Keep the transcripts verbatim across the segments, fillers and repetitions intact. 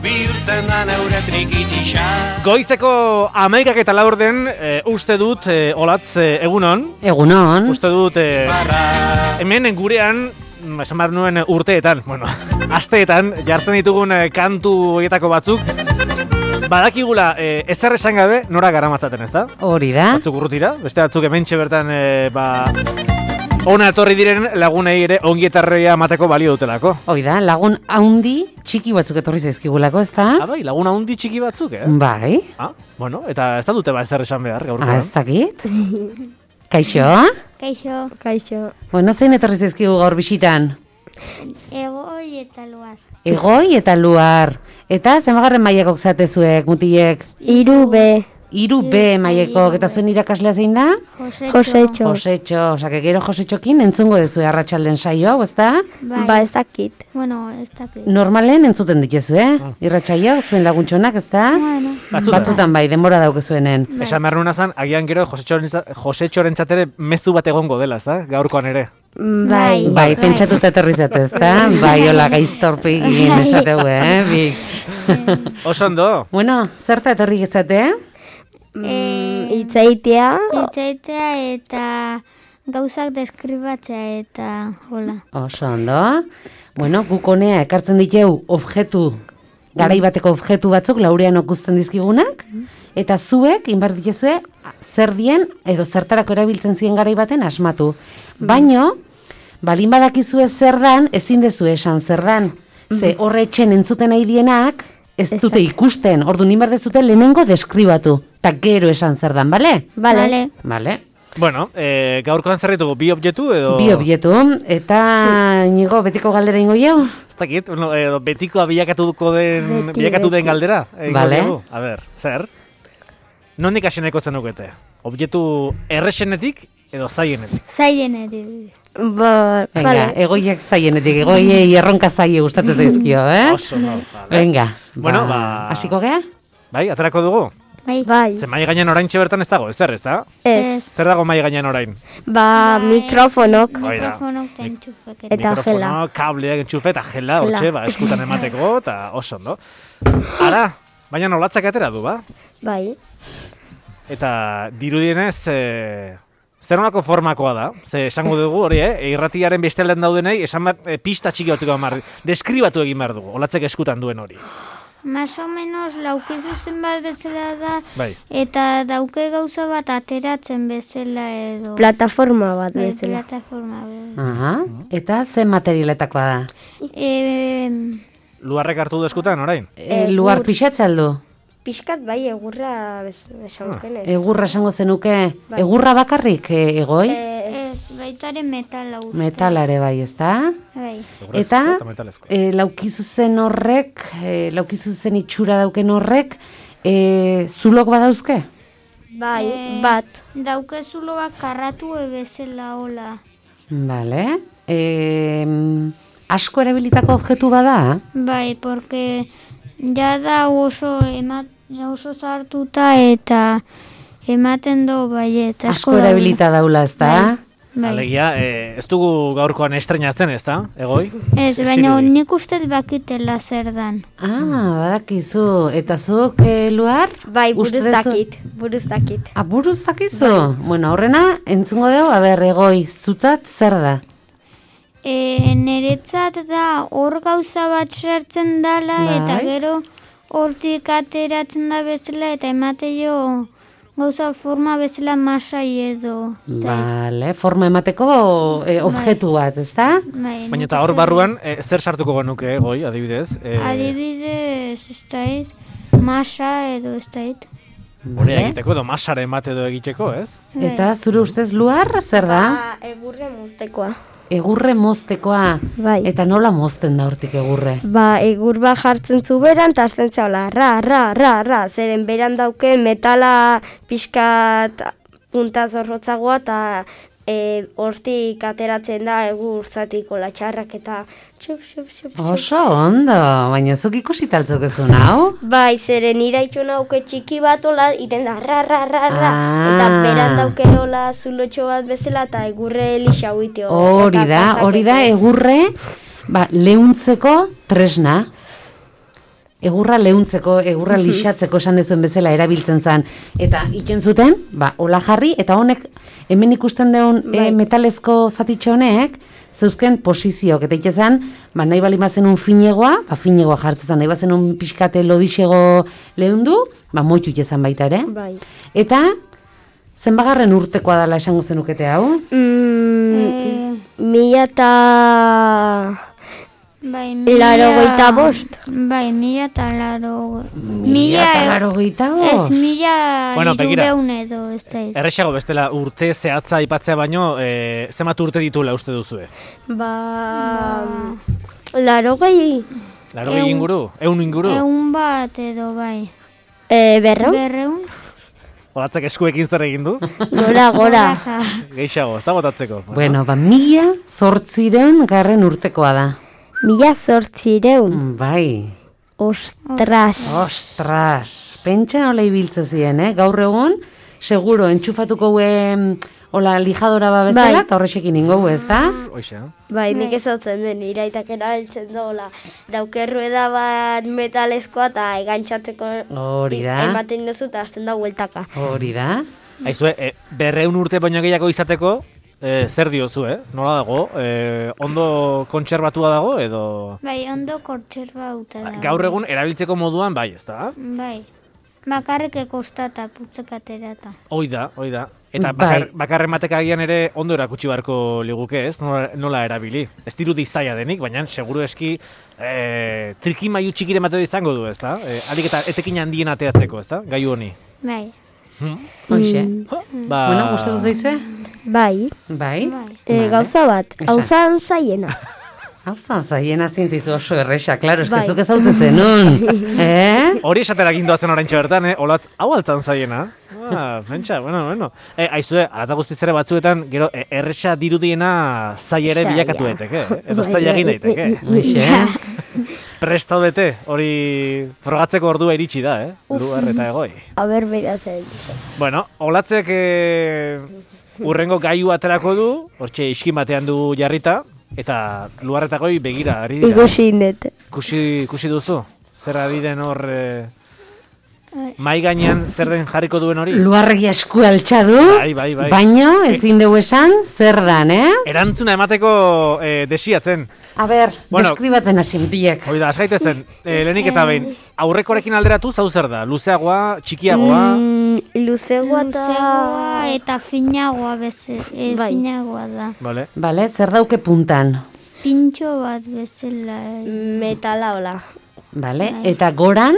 bihurtzen da neure trikitixa. Goizeko hamaikak eta laur den, e, uste dut, e, olatz, e, egunon. Egunon. Uste dut, e, hemen gurean, esan behar nuen urteetan, bueno, asteetan, jartzen ditugun e, kantu horietako batzuk, badakigula, e, ezer esan gabe, nora garamatzaten, ez da? Hori da. Batzuk urrutira, beste batzuk hementxe bertan, e, ba... Ona etorri diren lagunei ere ongietarria mateko balio dutelako. Hoi da, lagun haundi txiki batzuk etorri zaizkigulako, ez da? Ah, bai, lagun haundi txiki batzuk, eh? Bai. Ah, bueno, eta ez da dute ba ezer esan behar gaurkoan. Ah, ez dakit. Kaixo? Kaixo. Kaixo. Bueno, zein etorri zaizkigu gaur bisitan? Egoi eta luar. Egoi eta luar. Eta zenbagarren mailakok zatezuek, mutiek? Iru be. Iru B maileko, eta zuen irakaslea zein da? Josetxo. Josetxo, osea, gero Josetxokin entzungo dezu arratsalden saio hau, ez da? Ba, ez dakit. Bueno, ez dakit. Normalen entzuten dituzu, eh? Irratsaio, zuen laguntxonak, ez da? Bueno. Batzutan bai, denbora daukezuenen. Esan behar nuna zan, agian gero Josetxorentzat ere mezu bat egongo dela, ez da? Gaurkoan ere. Bai. Bai, pentsatuta etorri zate, ez da? Bai, hola gaiztorpegin esateu, eh? Bik. Oso ondo. Bueno, zerta etorri gezate, eh? Mm, itzaitea. Itzaitea eta gauzak deskribatzea eta hola. Oso ondo. Bueno, guk honea ekartzen diteu objektu, garai bateko objektu batzuk laurean okusten dizkigunak, eta zuek, inbar dituzue, zer dien edo zertarako erabiltzen ziren garai baten asmatu. Baino, balin badakizue zer dan, ezin dezu esan zer dan. Ze horre etxen entzuten nahi dienak, ez dute ikusten, ordu ninbar dezute lehenengo deskribatu, eta gero esan zer dan, bale? Bale. Bale. Bueno, e, gaurkoan zer ditugu, bi objektu edo... Bi objektu, eta nigo betiko galdera ingo jau? Ez dakit, no, edo betikoa bilakatuko den, Beti, bilakatu den beti. galdera. Bale. A ber, zer? Nondik haseneko zenukete? Objektu erresenetik edo zaienetik? Zailenetik. Ba, Venga, egoiak zaienetik, egoiei erronka zaie gustatzen zaizkio, eh? Oso, no, vale. Venga, Bueno, ba... hasiko gea? Bai, aterako dugu? Bai. Bai. Ze mai gainean oraintxe bertan ez dago, ez zer, ez da? Ez. Zer dago mai gainean orain? Ba, mikrofonok. Bai da. Mikrofonok eta entxufek. Eta Mikrofono, kableak, entxufe eta jela, Jela. hortxe, ba, eskutan emateko, eta oso ondo. Ara, baina nolatzak atera du, ba? Bai. Eta dirudienez, e, zer nolako formakoa da? Ze esango dugu hori, eh? Irratiaren bestelden daudenei, esan bat, e, pista txiki batzuk egin behar, deskribatu egin behar dugu, olatzek eskutan duen hori. Más o menos laukizu zenbat bezala da, Bai. eta dauke gauza bat ateratzen bezala edo... Plataforma bat Bai, bezala. plataforma bezala. Aha, eta zen materialetakoa da? E, Luarrek hartu du eskutan orain? E, luar pixatza aldu? Piskat bai, egurra esankenez. Egurra esango zenuke, egurra bakarrik e, egoi? ez, baitaren metala uste. Metalare bai, ez da? Bai. Eta, metalezko. e, laukizu zen horrek, e, laukizu zen itxura dauken horrek, e, zulok badauzke? Bai, Eh, bat. Dauke zuloak karratu ebezela hola. Vale. E, asko erabilitako objektu bada? Bai, porque ja da oso emat, oso sartuta eta ematen do baiet. Asko erabilita daula, ez da? Bai. Alegia, e, ez dugu gaurkoan estrenatzen, ez da? Egoi? Ez, baina nik ustez bakitela zer dan. Ah, badakizu. Eta zuk, e, Luar? Bai, buruz Uste duzu- dakit, buruz dakit. Ah, buruz dakizu? Bueno, horrena, entzungo dugu, aber, Egoi, zutzat zer da? E, Neretzat da hor gauza bat sartzen dala Bai. eta gero hortik ateratzen da bezala eta emate jo gauza forma bezala masai edo. Vale, forma emateko e, objektu bat, ez da? Bai, Baina eta hor barruan, e, zer sartuko genuke, Egoi, adibidez? E, adibidez, ez dait, masa edo ez dait. Hori egiteko edo masare emate edo egiteko, ez? Eta zure ustez Luar, zer da? Ba, egurre moztekoa. Egurre moztekoa. Bai. Eta nola mozten da hortik egurre? Ba, egur bat jartzen zu beran, eta azten zaula, ra, ra, ra, ra, zeren beran dauke metala pixkat punta zorrotzagoa, eta e, hortik ateratzen da egur zatiko latxarrak eta txup, txup, txup, txup. Oso ondo, baina zuk ikusi taltzuk ezun hau? Bai, zeren iraitxo nauke txiki bat ola, iten da ra, ra, ra, ra, Ah. eta beran dauke nola zulotxo bat bezala, eta egurre elisa huiteo. Hori da, hori da egurre, ba, leuntzeko tresna. egurra leuntzeko, egurra lixatzeko esan dezuen bezala erabiltzen zen. Eta iken zuten, ba, hola jarri, eta honek, hemen ikusten deun e, metalezko zatitxe honek, zeuzken posizioak, eta ikezan, ba, nahi bali mazen un finegoa, ba, finegoa jartzen, nahi bazen un pixkate lodixego leundu, ba, moitu ikezan baita ere. Bai. Eta, zenbagarren urtekoa dela esango zenukete hau? Mm, Eh, mila eta... bai, Laro goita bost. Bai, mila eta laro... Mila eta laro gehieta Ez, bost? mila Bueno, begira. hirureun edo, ez da. Errexago bestela urte zehatza aipatzea baino, e, zenbat urte ditula uste duzue? Ba... Laro gehi... Laro inguru? Eun inguru? Egun bat edo, bai. E, berro? Berreun? Olatzek eskuekin zer egin du? Gora, gora. Geixago, ez da botatzeko. Bueno, ba, mila zortzireun garren urtekoa da. Mila zortzireun. Bai. Ostras. Ostras, pentsa nola ibiltze ziren, eh? Gaur egun, seguro, entxufatuko huen, hola, lijadora ba bezala, Bai. eta horrexekin ingo ez da? Hoxe, Bai, nik ez hautzen den, iraitak erabiltzen dola. Daukerrueda bat metalezkoa eta egantxatzeko Hori da. ematen duzu eta azten da hueltaka. Hori da. Aizue, e, berreun urte baino gehiago izateko, e, zer diozu, eh? Nola dago? E, ondo kontserbatua dago, edo... Bai, ondo kortxerbauta da. Gaur egun erabiltzeko moduan, bai, ez da? Bai. Bakarrik ekostata, putzek aterata. Hoi da, hoi da. Eta Bai. bakar, bakarren batek agian ere ondo erakutsi beharko liguke, ez? Nola, nola erabili. Ez dirudi zaila denik, baina seguru eski e, trikimailu txikire mateo izango du, ez da? E, alik eta etekin handien ateatzeko, ez da? Gaiu honi. Bai. Hoxe. Ba... Bueno, gustatu zaizue? Bai, Bai. e, gauza bat, Esan. hau zan zaiena. Hau zan, zaiena zintzizu oso erresa, klaro, Bai. eskezuk ez hau zenun. eh? Hori esatera gindoa zen oraintxe bertan, eh? Olatz, hau altzan zaiena. Ah, pentsa, bueno, bueno. E, aizue, alata guztiz ere batzuetan, gero, e, erresa dirudiena zai ere Zaila. bilakatu daiteke, eh? Edo Bai, zaila bai. egin daiteke. Hoxe. Prest daudete, hori frogatzeko ordua iritsi da, eh? Luar eta egoi. Aber beratzen. Bueno, olatzek e, urrengo gaiu aterako du, hortxe iskin batean du jarrita, eta luar eta goi begira, ari dira. Ikusi indet. Kusi, kusi duzu? Zer ari den hor... E, mai gainean zer den jarriko duen hori? Luarregi esku altxa du, Bai, bai, bai. baino ezin dugu esan zer dan, eh? Erantzuna emateko e, desiatzen. A ber, Bueno. deskribatzen hasi mutiek. Hoi da, asgaitezen, e, lehenik eta behin, aurrekorekin alderatu zau zer da? Luzeagoa, txikiagoa? Mm, luzegoa eta... Luzegoa eta finagoa beze, e, Bai. finagoa da. Vale. Bale, zer dauke puntan? Pintxo bat bezala. Metala hola. Bale, eta goran?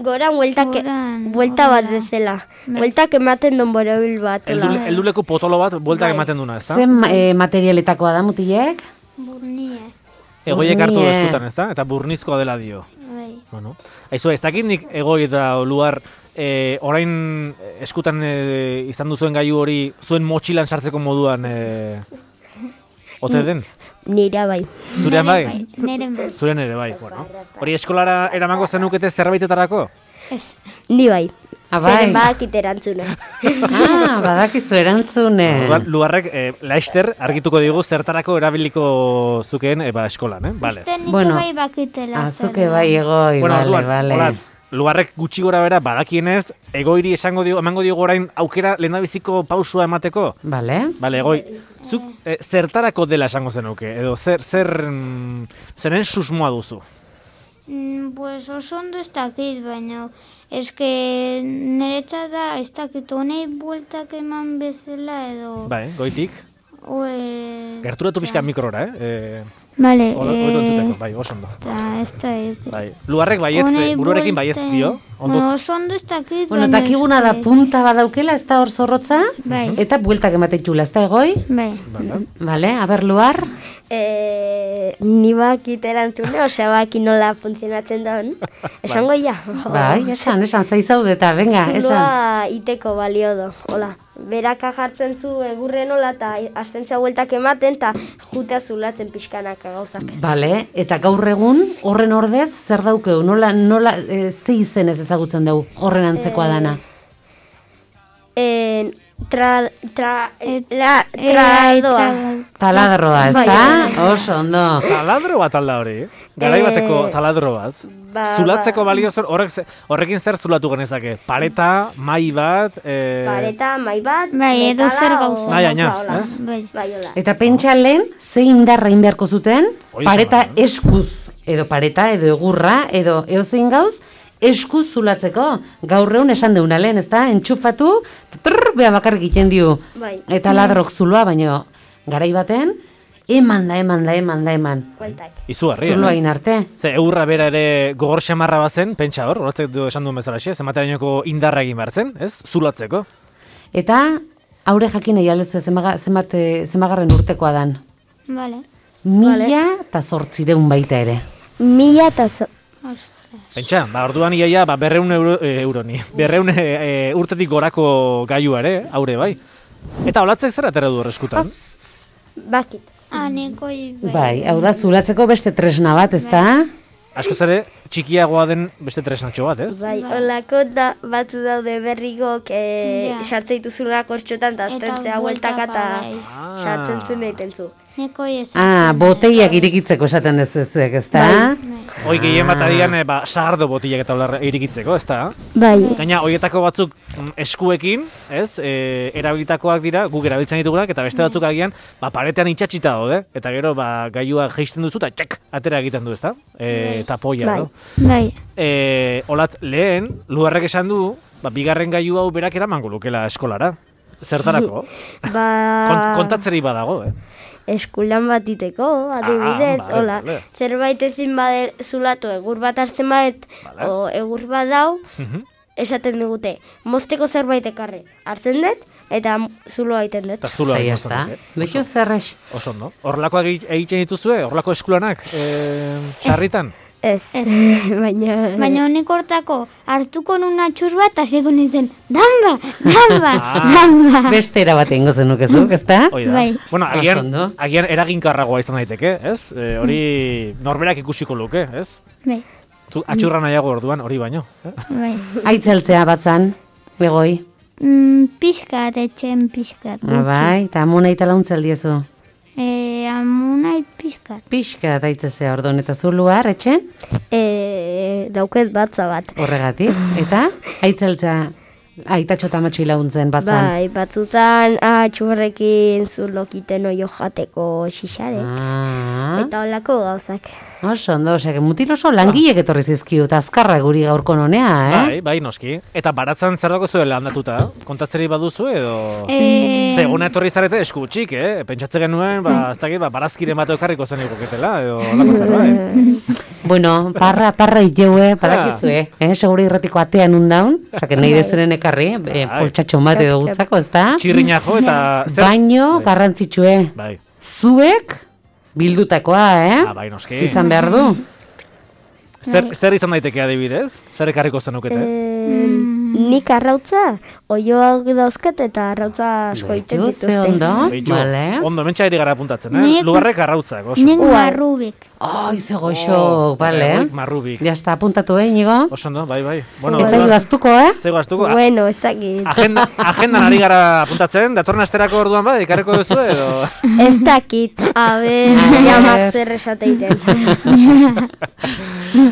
Goran bueltak, Goran, buelta bat horrela. bezala. Bueltak ematen don borobil bat. hola. Eldu, elduleku potolo bat bueltak Bai. ematen duna, ez da? Zen eh, materialetakoa da mutilek? Burnie. Egoiek hartu Burnie. eskutan, ez da? Eta burnizkoa dela dio. Bai. Bueno. Aizu, ez dakit nik egoi eta luar e, orain eskutan e, izan duzuen gaiu hori zuen motxilan sartzeko moduan e, ote den? Nira bai. Zurean bai? Neren bai. Zurean ere bai, bueno. Hori eskolara eramango zenukete zerbaitetarako? Ez. Ni bai. Ah, bai. Zeren badakit erantzuna. Ah, badakizu erantzune. Orduan, luarrek e, laister argituko digu zertarako erabiliko zukeen e, ba, eskolan, eh? Vale. Uste nik Bueno, bai bakitela. Azuke bai egoi, Bueno, bale, orduan, bale. olatz, luarrek gutxi gora bera badakienez, egoiri esango dio, emango dio orain aukera lehendabiziko pausua emateko? Bale. Bale, egoi, zuk e, zertarako dela esango zenuke, edo zer, zer, mm, zeren susmoa duzu? Mm, pues oso ondo ez dakit, baina eske niretzat da ez dakit honei bueltak eman bezala edo... Bai, goitik, Oe... gerturatu pixka mikrora, eh? E, Vale, Hola, eh, hobeto entzuteko, bai, oso ondo. eta ez da... Bai. Luarrek baietz, honei eh, buruarekin baietz buelten- dio, Bueno, ondo. oso ondo ez dakit, Bueno, baina takiguna da eske- punta badaukela, ez da hor zorrotza? Bai. Eta bueltak ematetxula, ez da egoi? Bai. Bale, aber luar? E, ni bakit erantzuna, osea baki nola funtzionatzen daun. Esango ja. Bai, esan, esan, zaizaudeta, venga, esan. Zuloa iteko balio do. Hola, beraka jartzen zu egurren hola eta astentzia bueltak ematen eta jutea zulatzen pixkanaka gauzak. Bale, eta gaur egun horren ordez zer daukeu, nola, nola, e, ze izenez ezagutzen dugu horren antzekoa dana? En, Tra, tra, Et- la, Eh, tradoa. tra- Taladroa, ez Bai, da? bai. Oso, ondo. Taladro bat alda hori, garai bateko Eh, taladro bat. ba- Zulatzeko ba- balio zer, horrek, ze- horrekin zer zulatu genezake? Pareta, mai bat, eh, Pareta, mai bat, Bai, edo metala zer o gauza. Bai, aina, gauza hola. ez? Bai. Bai, hola. Eta pentsa lehen, ze indarra egin beharko zuten, Hori pareta esan, eh? eskuz, edo pareta, edo egurra, edo eozein gauz, eskuz zulatzeko. Gaur egun esan deuna lehen, ez da? Entxufatu, trrr, beha bakarrik egiten dio. Bai. Eta ladrok zuloa, baino garai baten, eman da, eman da, eman da, eman. Guaitak. izugarria. Zuloa eh? egin arte. Ze eurra bera ere gogor xamarra bazen, pentsa hor, horretzek du esan duen bezala xe, zematerainoko indarra egin behartzen, ez? Zulatzeko. Eta aurre jakin nahi aldezu zenbaga- zenbat, eh, zenbagarren urtekoa dan. Vale. Mila eta zortzireun baita ere. Mila eta zo... Pentsa, ba, orduan iaia, ba, berreun euro, e, euroni, berreun e, e, urtetik gorako gailua ere, aure bai. Eta olatzek zer atera du horreskutan? Bakit. Ah, nikoi bai. Bai, hau da, zulatzeko beste tresna bat, ez da? Askoz ere, txikiagoa den beste tresnatxo bat, ez? Bai, holako da, batzu daude berrigok e, Ja. sartzen dituzuna kortxotan eta astentzea Eta hueltaka eta bueltaka, bai. sartzen zuen egiten zu. Nikoi ez. Ah, boteiak irikitzeko esaten dezu zuek, ez da? Hoi gehien bat adian, e, ba, sagardo botillak eta hola irikitzeko, ez da? Bai. Gaina, hoietako batzuk mm, eskuekin, ez, e, erabilitakoak dira, guk erabiltzen ditugunak, eta beste batzuk agian, ba, paretean itxatxita daude, eta gero, ba, gailua jeisten duzu, eta txak, atera egiten du, ez da? E, eta poia, Bai. no? Bai. E, olatz, lehen, Luarrek esan du, ba, bigarren gailu hau berak eramango lukela eskolara. Zertarako? Ba, Kont, kontatzeri badago, eh? eskulan bat iteko, adibidez, Ah, vale, hola, vale. zerbait ezin bade zulatu egur bat hartzen badet, Vale. o egur bat dau, Mhm. esaten digute, mozteko zerbait ekarri, hartzen dut, eta zuloa egiten dut. Eta zulo Eta egin ya está. eh? Beixo zerrex. Oso, no? Horrelakoak egi- egiten dituzue, horrelako eskulanak, e, sarritan? Ez, baina... Baina honik hortako hartuko nun atxur bat, hasiko nintzen, damba, damba, Ah. damba. Beste era bat egingo zenukezuk, ez da? Hoi da. Bai. Bueno, Oso agian, ondo. agian eraginkarragoa izan daiteke, ez? E, hori norberak ikusiko luke, ez? Bai, Zu, atxurra nahiago orduan, hori baino. Eh? bai. Aitzeltzea batzan, begoi. Mm, pixkat, etxen pixkat. Ah, bai, eta amuna eta launtzel diezu. E, amunai pixkat. Pixka daitzezea orduan, eta zu luar, etxen? E, dauket batza bat. Horregatik. Eta, aitzeltzea, aitatxo eta matxoi laguntzen batzan. Bai, batzutan atxurrekin zulokiten oio jateko xixare. Ah, Eta holako gauzak. oso ondo, osea, que mutil oso langilek etorri zizkiu, eta azkarra guri gaurko nonea, eh? Bai, bai, noski. Eta baratzan zer dago zuela handatuta? Kontatzeri baduzu edo... E, Ze, ona etorri zarete esku txik, eh? Pentsatze genuen, ba, ez dakit, ba, barazkiren bat ekarriko zen ikoketela, edo lako zerbait. Bueno, parra, parra iteue, badakizue, eh? Seguri irratiko atean undaun, osea, nahi dezuren ekarri, eh, Bai. poltsatxon bat edo gutzako, ez da? Txirrina jo eta... zer- Baino, Bai. garrantzitsue, Bai, zuek bildutakoa, eh? ah, bai, noski. Izan behar du. Zer, zer izan daiteke adibidez? Zer ekarriko zenukete? E, nik arrautza, oioak dauzket eta arrautza asko egiten Beitu, ze dituzte. ondo, Beitu, vale. ondo, mentxa eri gara apuntatzen, eh? Nik- Lugarrek arrautzak, oso. nik Ua. marrubik. Ai, ze Oh, goxok, vale. Egoik marrubik. Ja está, apuntatu, eh, Inigo? Oso ondo, bai, bai. Bueno, Etzai baztuko, eh? Zego astuko. a- Bueno, ez dakit. Agenda, agendan ari gara apuntatzen, datorren asterako orduan bai, ikarreko duzu edo... Ez dakit, a ber, jamak zer esateiten.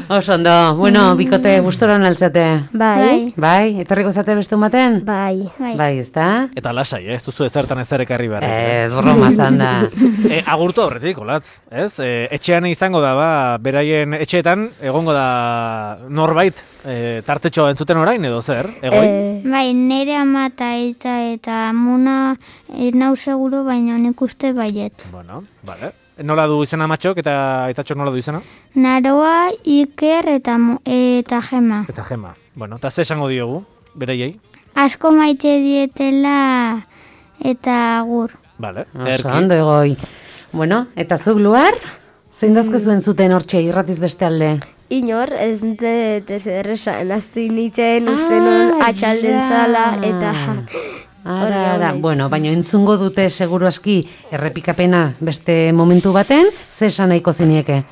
Oso ondo, bueno, bikote gustoran altzate. Bai, Bai, etorriko zate beste baten? bai. Bai. Bai, ezta? Eta lasai, eh? ez duzu ezertan ezer ekarri behar. Ez, broma zan da. E, agurtu horretik, olatz, ez? E, etxean izango da, ba, beraien etxeetan, egongo da norbait, e, tartetxo entzuten orain edo zer, egoi? Eh, Bai, nire ama eta eta eta amuna ez nau seguro, baina nik uste baiet. Bueno, vale. Nola du izena matxok eta aitatxok nola du izena? Naroa, Iker eta, Mo- eta Gema. Eta Gema. Bueno, eta ze esango diogu, bereiei? Asko maite dietela eta agur. Vale, Oso ondo egoi. Bueno, eta zuk luar? Zein dozke zuen zuten hortxe irratiz beste alde? Inor, ez dut ez erresan, aztu nintzen uste nun Ah, atxalden ja. zala, eta... Ara, Hori ara, naiz. bueno, baina entzungo dute seguru aski errepikapena beste momentu baten, ze esan nahiko zinieke?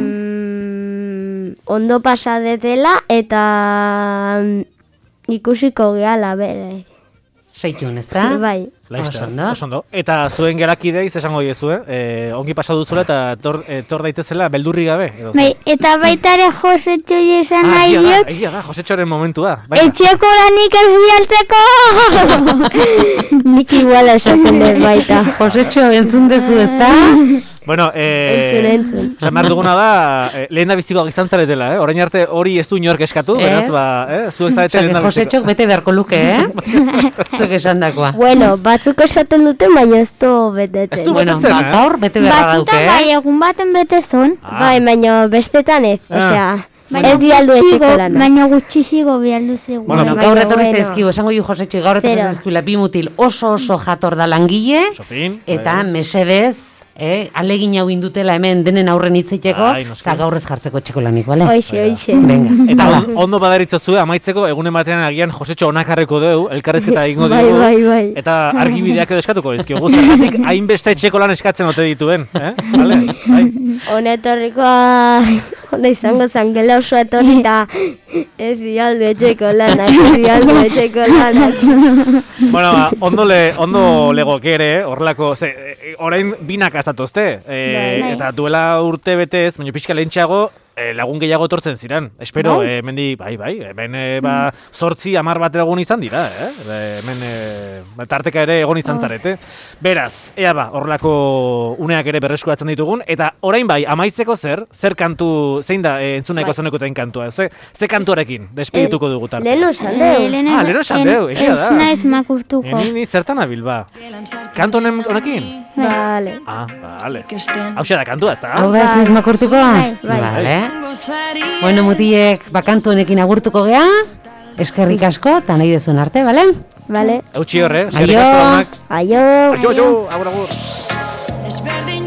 Mm, ondo pasadetela eta mm, ikusiko gehala bere. Seitun, ez da? Bai. Laista, Osondo. osondo. Eta zuen gerakideiz esango diezu, eh? E, ongi pasa duzula eta tor, e, tor daitezela beldurri gabe. Edo, Bai, eta baita ere Josetxo esan ah, nahi egia da, diot, egia da, Josetxoren momentua. Baina. etxeko lanik ez bialtzeko! Nik iguala esaten dut baita. Josetxo, entzun dezu, ez da? Bueno, eh, Entzun, entzun. esan behar duguna da, eh, lehen da bizikoak izan zaretela, eh? Orain arte hori ez du inork eskatu, Ez. beraz, ba, eh? Zuek zarete Osea, lehen que da Josetxok bete beharko luke, eh? Zuek esan dakoa. Bueno, batzuk esaten dute, baina ez du beteten. Ez du Bueno, betetzen, ba, eh? gaur bete beharra dauke, Batzutan bai, eh? egun baten bete zon. Ah. Bai, baina bestetan ez, Ah. osea, Baina ez dialdu gutxigo- etxeko lana. Baina gutxizigo bialdu zigu. Bueno, Bueno, Baina, gaur etorri bueno. zaizkigu, esango ju Josetxo, gaur etorri Pero. zaizkiula bi mutil oso oso jator da langile, Sofin. eta bai. mesedez, eh, alegin hau indutela hemen denen aurren hitzeiteko, Ai, noski. eta gaur ez jartzeko etxeko lanik, bale? Hoixe, hoixe. Venga, Eta hala. on, ondo badaritzazue amaitzeko egunen batean agian Josetxo onakarreko dugu, elkarrezketa egingo Bai, dugu. bai, bai. Eta argibideak edo eskatuko dizkiogu, zergatik hainbeste etxeko lan eskatzen ote dituen, eh? Vale? Bai. Hone etorrikoa, hone izango zen gela oso etorri eta ez dialdu etxeko lanak, ez dialdu etxeko lanak. Bueno, ba, ondo, le, ondo legoke ere, horrelako, ze, e, orain binak azatozte, e, Bai. eta duela urte betez, baina pixka lehentxeago, e, lagun gehiago etortzen ziren. Espero, Bai. e, mendi, bai, bai, hemen e, ba, zortzi amar bat egon izan dira, eh? E, hemen e, ba, tarteka ere egon izan zarete. Beraz, ea ba, horrelako uneak ere berreskuratzen ditugun, eta orain bai, amaitzeko zer, zer kantu, zein da e, entzuneko Bai. zenekotain kantua, ze, ze kantuarekin, despedituko dugu tartea. Lehen osan Eh, deu. lehen- Ah, lehen esan deu, egia da. Ez naiz makurtuko. E, ni, ni zertan abil, ba? Kantu honen honekin? Vale. Ah, vale. Hau da kantua, ez Hau da? da ez naiz makurtuko? Bai, bai. Vale. Bueno, mutiek, bakantu honekin agurtuko gea, eskerrik asko, eta nahi dezuen arte, bale? Vale. Eutxi horre, eskerrik Aio. asko lagunak. Aio. Aio, aio, agur, agur. Desberdin